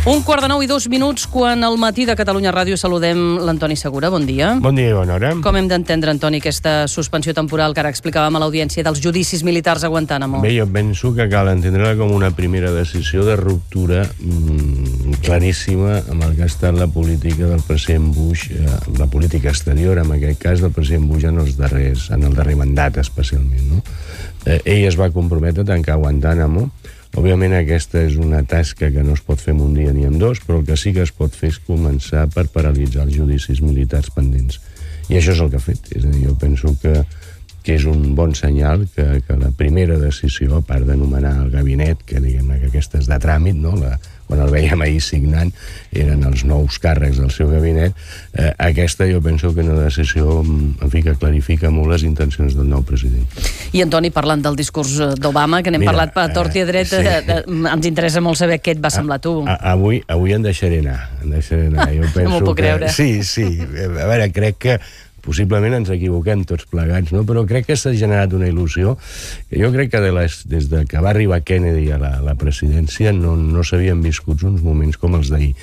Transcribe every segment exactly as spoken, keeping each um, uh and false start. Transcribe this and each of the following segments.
Un quart de nou i dos minuts quan al matí de Catalunya Ràdio saludem l'Antoni Segura. Bon dia. Bon dia i bona hora. Com hem d'entendre, Antoni, aquesta suspensió temporal que ara explicàvem a l'audiència dels judicis militars a Guantánamo? Bé, jo penso que cal entendre-la com una primera decisió de ruptura mmm, claríssima amb el que ha estat la política del president Bush, eh, la política exterior, en aquest cas, del president Bush en, els darrers, en el darrer mandat, especialment. No? Eh, ell es va comprometre a tancar Guantánamo. Òbviament aquesta és una tasca que no es pot fer en un dia ni en dos, però el que sí que es pot fer és començar per paralitzar els judicis militars pendents. I això és el que ha fet. És a dir, jo penso que, que és un bon senyal que, que la primera decisió, a part d'anomenar el gabinet, que diguem que aquesta és de tràmit, no? La, quan el veiem ahir signant, eren els nous càrrecs del seu gabinet, eh, aquesta jo penso que és una decisió en fi, que clarifica molt les intencions del nou president. I, Antoni, parlant del discurs d'Obama, que n'hem parlat per tort i a dret, sí. eh, ens interessa molt saber què et va semblar a tu. A, a, avui, avui em deixaré anar. Em deixaré anar. Jo penso no m'ho puc que... creure. Sí, sí. A veure, crec que possiblement ens equivoquem tots plegats, no? Però crec que s'ha generat una il·lusió que jo crec que de les, des de que va arribar Kennedy a la, la presidència no, no s'havien viscut uns moments com els d'ahir.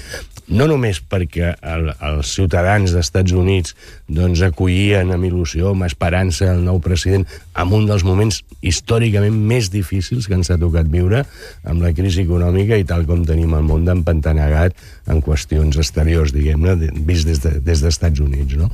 No només perquè el, els ciutadans dels Estats Units doncs, acollien amb il·lusió, amb esperança el nou president en un dels moments històricament més difícils que ens ha tocat viure, amb la crisi econòmica i tal com tenim el món d'empantanegat en qüestions exteriors, diguem-ne, vist des, de, des dels Estats Units. No?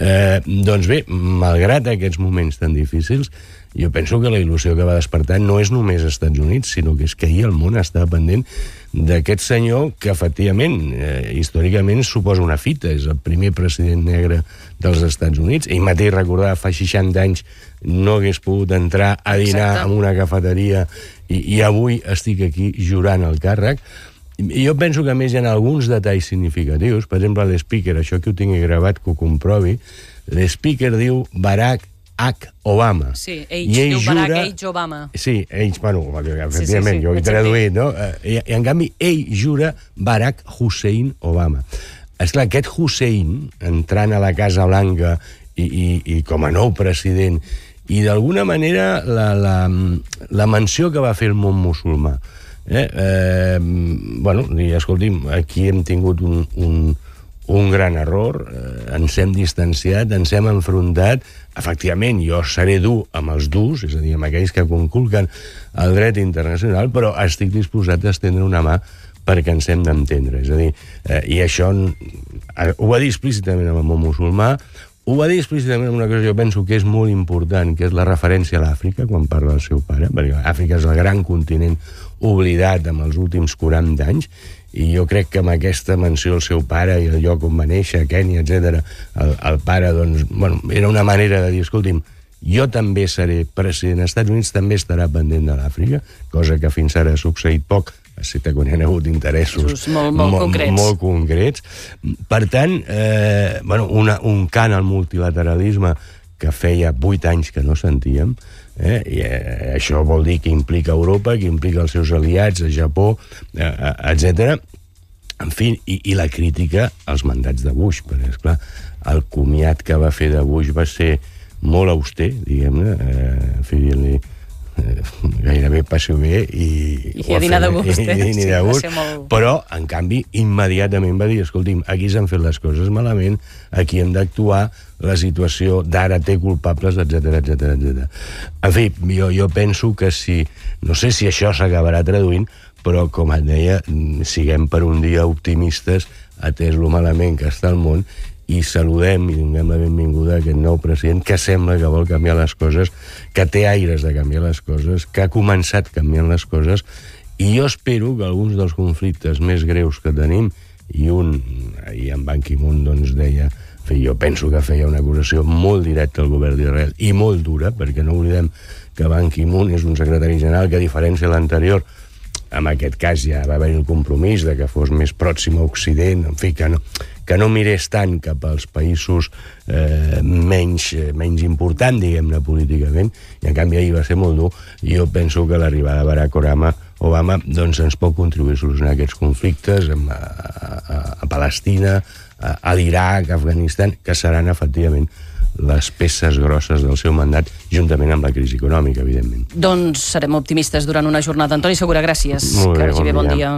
Eh, doncs bé, malgrat aquests moments tan difícils, jo penso que la il·lusió que va despertar no és només als Estats Units, sinó que és que ahir el món estava pendent d'aquest senyor que, efectivament, eh, històricament suposa una fita. És el primer president negre dels Estats Units. Ell mateix recordava fa seixanta anys no hagués pogut entrar a dinar Exacte. En una cafeteria i, i avui estic aquí jurant el càrrec. I jo penso que, a més, hi ha alguns detalls significatius. Per exemple, l'speaker, això que ho tingui gravat, que ho comprovi, l'speaker diu Barack H. Obama. Sí, ell diu jura... Barack H. Obama. Sí, ell, bueno, efectivament, sí, sí, sí. jo ho he traduït, no? I, I, en canvi, ell jura Barack Hussein Obama. Esclar, aquest Hussein, entrant a la Casa Blanca i, i, i com a nou president, i d'alguna manera la, la, la menció que va fer el món musulmà. Eh? Eh, bueno, i escolti'm, aquí hem tingut un... un un gran error, eh, ens hem distanciat, ens hem enfrontat. Efectivament, jo seré dur amb els durs, és a dir, amb aquells que conculquen el dret internacional, però estic disposat a estendre una mà perquè ens hem d'entendre. És a dir, eh, i això eh, ho va dir explícitament amb el món musulmà, ho va dir explícitament amb una cosa que jo penso que és molt important, que és la referència a l'Àfrica, quan parla del seu pare, perquè Àfrica és el gran continent oblidat en els últims quaranta anys, i jo crec que amb aquesta menció al seu pare i el lloc on va néixer, Kènia, etcètera, el, el pare, doncs, bueno, era una manera de dir, escolti'm, jo també seré president dels Estats Units, també estarà pendent de l'Àfrica, cosa que fins ara ha succeït poc, excepte quan hi ha hagut interessos molt, molt, molt, concrets. molt concrets. Per tant, eh, bueno, una, un cant al multilateralisme que feia vuit anys que no sentíem, eh? I eh, això vol dir que implica Europa, que implica els seus aliats, a Japó, eh, etcètera. En fi, i, i la crítica als mandats de Bush, perquè, esclar, el comiat que va fer de Bush va ser molt auster, diguem-ne, eh, en fi, dient-li eh, gairebé passi-ho bé i... I a dinar de gust, eh? I, i, sí, de gust. molt... Però, en canvi, immediatament va dir, escolti'm, aquí s'han fet les coses malament, aquí hem d'actuar, la situació d'ara té culpables, etcètera, etcètera, etcètera. En fi, jo, jo penso que si... No sé si això s'acabarà traduint, però, com et deia, siguem per un dia optimistes, atès lo malament que està el món, i saludem i donem la benvinguda a aquest nou president que sembla que vol canviar les coses, que té aires de canviar les coses, que ha començat canviant les coses, i jo espero que alguns dels conflictes més greus que tenim, i un, ahir en Ban Ki-moon doncs deia, jo penso que feia una acusació molt directa al govern d'Israel i molt dura, perquè no oblidem que Ban Ki-moon és un secretari general que, a diferència de l'anterior, en aquest cas ja va haver el compromís de que fos més pròxim a Occident, en fi, que no, que no mirés tant cap als països eh, menys, menys important, diguem-ne, políticament, i en canvi ahir va ser molt dur, i jo penso que l'arribada de Barack Obama, Obama doncs ens pot contribuir a solucionar aquests conflictes a, a, a Palestina, a, a l'Iraq, a Afganistan, que seran efectivament les peces grosses del seu mandat, juntament amb la crisi econòmica, evidentment. Doncs serem optimistes durant una jornada. Antoni Segura, gràcies. Molt bé, que vagi bé, bon dia.